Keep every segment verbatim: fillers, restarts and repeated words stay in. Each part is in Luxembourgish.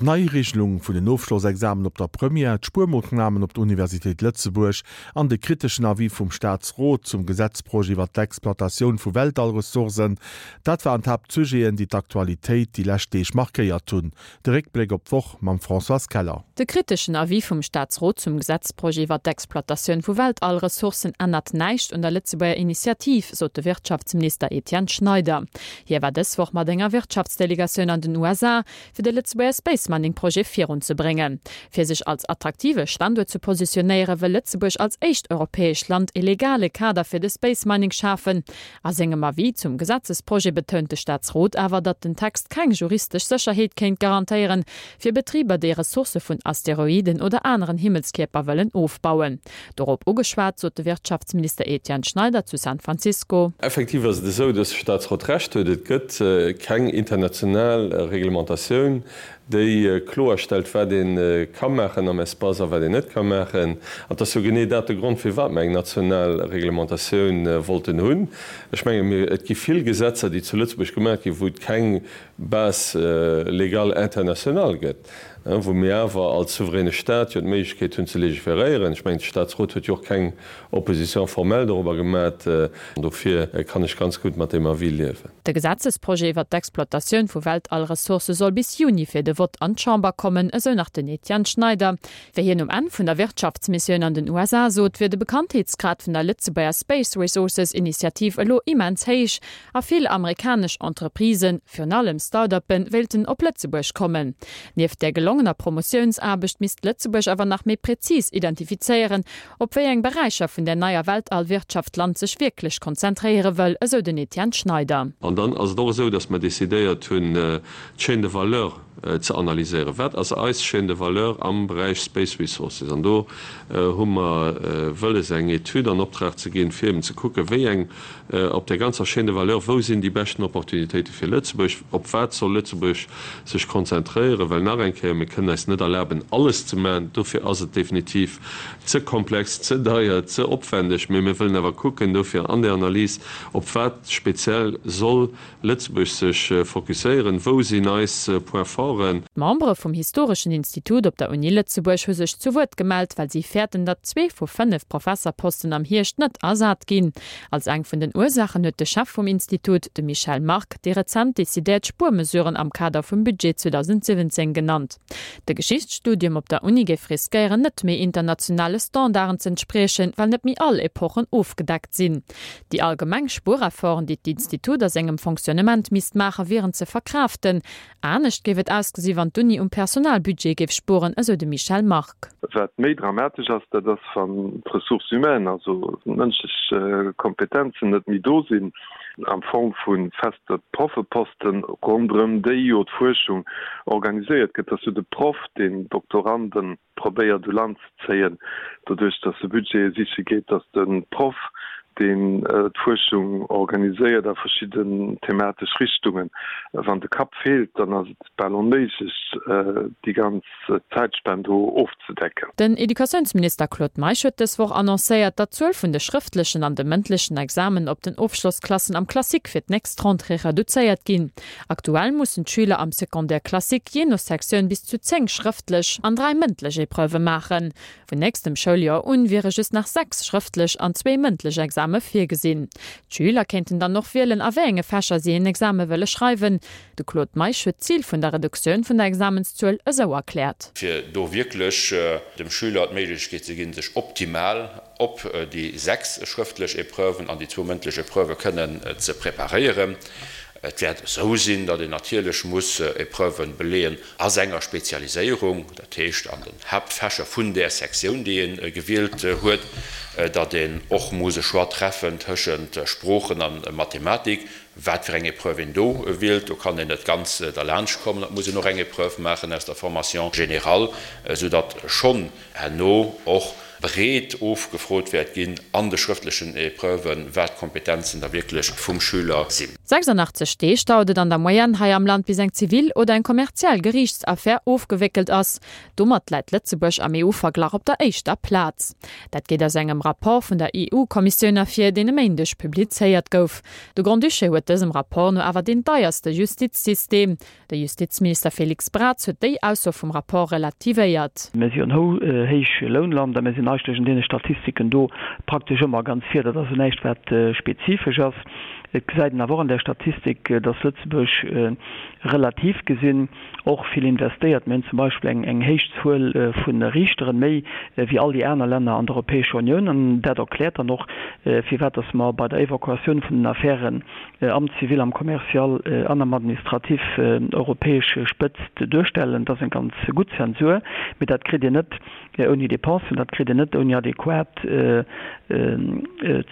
D'Neiregelung vun den Ofschlossexamen op der Première, d'Spuermoossnamen op der Universitéit Lëtzebuerg an de kriteschen Avis vum Staatsrot zum Gesetzprojet iwwer d'Exploitatioun vu Weltallressourcen, dat waren d'Haaptsujeten, déi d'Aktualitéit déi lescht Deeg markéiert hunn. De Réckbléck op d'Woch mam Françoise Keller. De kriteschen Avis vum Staatsrot zum Gesetzprojet iwwer d'Exploitatioun vu Weltallressourcen ännert näischt un der Lëtzebuerger Initiativ, sot de Wirtschaftsminister Etienne Schneider. Hie war dës Woch mat enger Wirtschaftsdelegatioun an den U S A, fir de Lëtzebuerger Space Mining Projet virunzebréngen. Fir sech als attraktive Standuert ze positionéieren, wëll Lëtzebuerg als éischt europäescht Land e legale Kader fir de Space Mining schafen. A sengem Avis zum Gesetzesprojet betount de Staatsrot awer, datt den Text keng juristesch Sécherheet kéint garantéieren, fir Betriber, déi Ressourcë vun Asteroiden oder aneren Himmelskierper wëllen ofbauen. Dorop ugeschwat, sot de Wirtschaftsminister Etienne Schneider zu San Francisco. Effektiv ass et esou, datt de Staatsrot Recht huet. Et gëtt keng international Reglementatioun, déi kloerstellt, wat een ka maachen am Espace a wat een net ka maachen. An dat ass jo genee dat de Grond, firwat mir eng national Reglementatioun wollten hunn. Ech menge mir, et gi vill Gesetzer, déi zu Lëtzebuerg gemaach ginn, wou et keng Base légale internationale gëtt, wou mir awer als souveräne Staat jo d'Méiglechkeet hunn ze legiferéieren. Ech mengen, de Staatsrot huet jo och keng Opposition formelle darüber gemaach. Dofir kann ech ganz gutt mat deem Avis liewen. De Gesetzesprojet iwwer d'Exploitatioun vu Weltallressourcë soll bis Juni fir de Vott an d'Chamber kommen, esou nach den Etienne Schneider. Wéi hien um Enn vun der Wirtschaftsmissioun an den U S A sot, wier de Bekanntheetsgrad vun der Lëtzebuerger Space Resources Initiativ elo immens héich a vill amerikanesch Entreprisen, virun allem Start-uppen, wéilten op Lëtzebuerg kommen. Nieft der gelongener Promotiounsaarbecht misst Lëtzebuerg awer nach méi präzis identifizéieren, op wéi eng Beräicher vun der neier Weltallwirtschaft d'Land sech wierklech konzentréiere wëll, esou den Etienne Schneider. An dann ass et och esou, datt mir decidéiert hunn, d'Chaîne de valeur ze analyséieren. Wat ass eis Chaîne de valeur am Beräich Space Resources? An do hu mer wëlles eng Etüd an Optrag ze ginn, fir eben ze kucken, wéi eng op der ganzer Chaîne de valeur, wou sinn déi beschten Opportunitéite fir Lëtzebuerg, op wat soll Lëtzebuerg sech konzentréieren, well nach eng Kéier, mir kënnen eis net erlaben, alles ze maachen. Dofir ass et definitiv ze komplex, ze deier, ze opwendeg, mee mir wëllen awer kucken, dofir an der Analys, op wat speziell soll Lëtzebuerg sech fokusséieren, wou sinn eis Point forten. D'Membere vum Historeschen Institut op der Uni Lëtzebuerg hu sech zu Wuert gemellt, well si fäerten, datt zwee vu fënnef Professorposten am Hierscht net ersat ginn. Als eng vun den Ursachen huet de Chef vum Institut, de Michel Mark, déi rezent decidéiert Spuermesuren am Kader vum Budget zweedausendsiwwenzéng genannt. De Geschichtsstudium op der Uni géif riskéieren, net méi internationale Standarden ze entspriechen, well net méi all Epochen ofgedeckt sinn. Déi allgemeng Spuerefforten, déi d'Institut a sengem Fonctionnement misst maachen, wieren ze verkraften. Anescht géif et ausgesi wann d'Uni um Personalbudget géif spueren, esou de Michel Mark. Wat méi dramatesch ass, dat ass wann d'Ressources humaines, also mënschlech Kompetenzen net méi do sinn, am Form vu feste Proffeposten ronderëm déi jo d'Fuerschung organiséiert gëtt, dass jo de Proff den Doktoranden probéiert u Land ze zéien, doduerch dass de Budget siche geet, dass de Proff den d'Fuerschung organiséiert a verschidden thematesch Richtungen. Wann de Kapp feelt, dann ass et bal onméiglech, déi ganz Zäitspann do ofzedecken. Den Educatiounsminister Claude Meisch huet dës Woch annoncéiert, datt d'Zuel vun de schrëftlechen an de mëndlechen Examen op den Ofschlossklassen am Classique fir d'nächst Rentrée reduzéiert ginn. Aktuell mussen d'Schüler am Secondaire Classique jee no Sektioun bis zu zéng schrëftlech an dräi mëndlech Epreuve maachen. Vun nächstem Schouljoer un wiere just nach sechs schrëftlech an zwee mëndlech Exame virgesinn. D'Schüler kéinten dann och wielen, a wéi enge Fächer si en Exame wëlle schreiwen. De Claude Meisch huet d'Zil vun der Reduktioun vun der Examenszuel esou erkläert. Fir do wierklech dem Schüler d'Méiglechkeet ze ginn, sech optimal op déi sechs schrëftlech Epreuven an déi zwou mëndlech Epreuve kënnen ze preparéieren. Et wäert esou sinn, datt een natierlech muss Epreuven beleeën a senger Spezialiséierung, dat heescht an den Haaptfächer vun der Sektioun, déi een gewielt huet, datt een och muss e Choix treffen tëschent Sproochen an Mathematik, wat fir eng Epreuve een do wielt. Do kann een net ganz derlaanscht kommen, dat muss een och eng Epreuve maachen aus der Formation générale, soudatt schonn herno och breet ofgefrot wäert ginn an de schrëftlechen Epreuven, wat d'Kompetenzen da wierklech vum Schüler sinn. sechsundachtzeg Deeg dauert et an der Moyenne hei am Land, bis eng zivil oder eng kommerziell Geriichtsaffär ofgewéckelt ass. Domat läit Lëtzebuerg am E U-Verglach op der éischter Plaz. Dat geet aus engem Rapport vun der E U-Kommissioun ervir, deen e Méindeg publizéiert gouf. De Grand-Duché huet dësem Rapport no awer deen deierste Justizsystem. De Justizminister Félix Braz huet déi Ausso vum Rapport relativéiert. Mir si en Héichlounland a mir sinn eigentlech an deene Statistiken do praktesch ëmmer ganz vir. Dat ass näischt, wat spezifesch ass. Et gesäit een awer och an där Statistik, dass Lëtzebuerg relativ gesinn och vill investéiert. Mir hunn zum Beispill eng héich Zuel vu Riichteren, méi wéi all déi aner Länner an der Europäescher Unioun. An dat erkläert dann och, firwat dass mer bei der Evakuatioun vun den Affären am Zivil, am Commercial an am Administratif europäesch Spëtzt duerstellen. Dat ass eng ganz gutt Zensur, mee dat kritt Dir net ouni Dépensen, dat kritt een net ouni adequat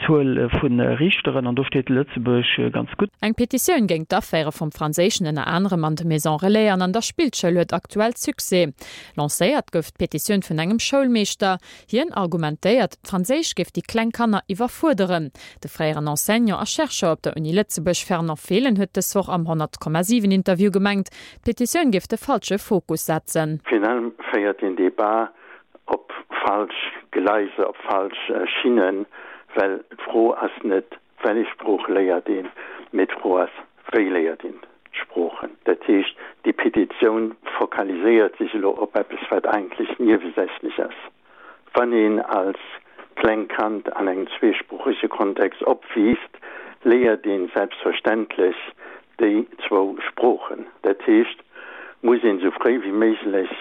Zuel vu Riichteren, an do steet Lëtzebuerg ganz gutt. Eng Petitioun géint d'Aféiere vum Franséischen ënner anerem an de Maison Relais an an der Spillschoul huet aktuell Succès. Lancéiert gouf d'Petitioun vun engem Schoulmeeschter. Hien argumentéiert, d'Franséisch géif déi kleng Kanner iwwerfuerderen. De fréieren Enseignant a Chercheur op der Uni Lëtzebuerg Fernand Fehlen huet dës Woch am honnert Komma siwen Interview gemengt, d'Petitioun géif de falsche Fokus setzen. Virun allem féiert deen Debat op falsch Gleiser, op falsch Schinnen, well d'Fro ass net, wellech Sprooch léiert een, mee d'Fro ass, wéi léiert een d'Sproochen. Dat heescht, déi Petitioun fokaliséiert sech elo op eppes, wat eigentlech niewesächlech ass. Wann een als klengt Kand an engem zweesproochege Kontext opwiisst, léiert een selbstverständlech déi zwou Sproochen. Dat heescht, muss een esou fréi wéi méiglech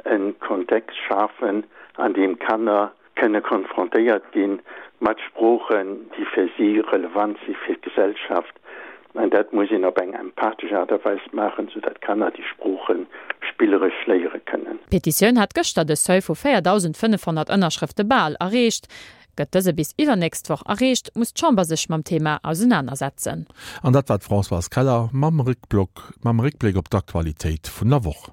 e Kontext schafen, an deem Kanner kënne konfrontéiert gi mat Sproochen, déi fir si relevant si fir d'Gesellschaft. An dat muss een op eng empathesch Aart a Weis maachen, soudatt d'Kanner déi Sprooche spilleresch léiere kënnen. D'Petitioun hat gëschter de Seuil vu véierdausendfënnefhonnert Ënnerschrëfte bal erreecht. Gëtt dëse bis iwwernächst Woch erreecht, muss d'Chamber sech mam Thema ausenanersetzen. An dat war d'Françoise Keller mam Réckblock, mam Réckbléck op d'Aktualitéit vun der Woch.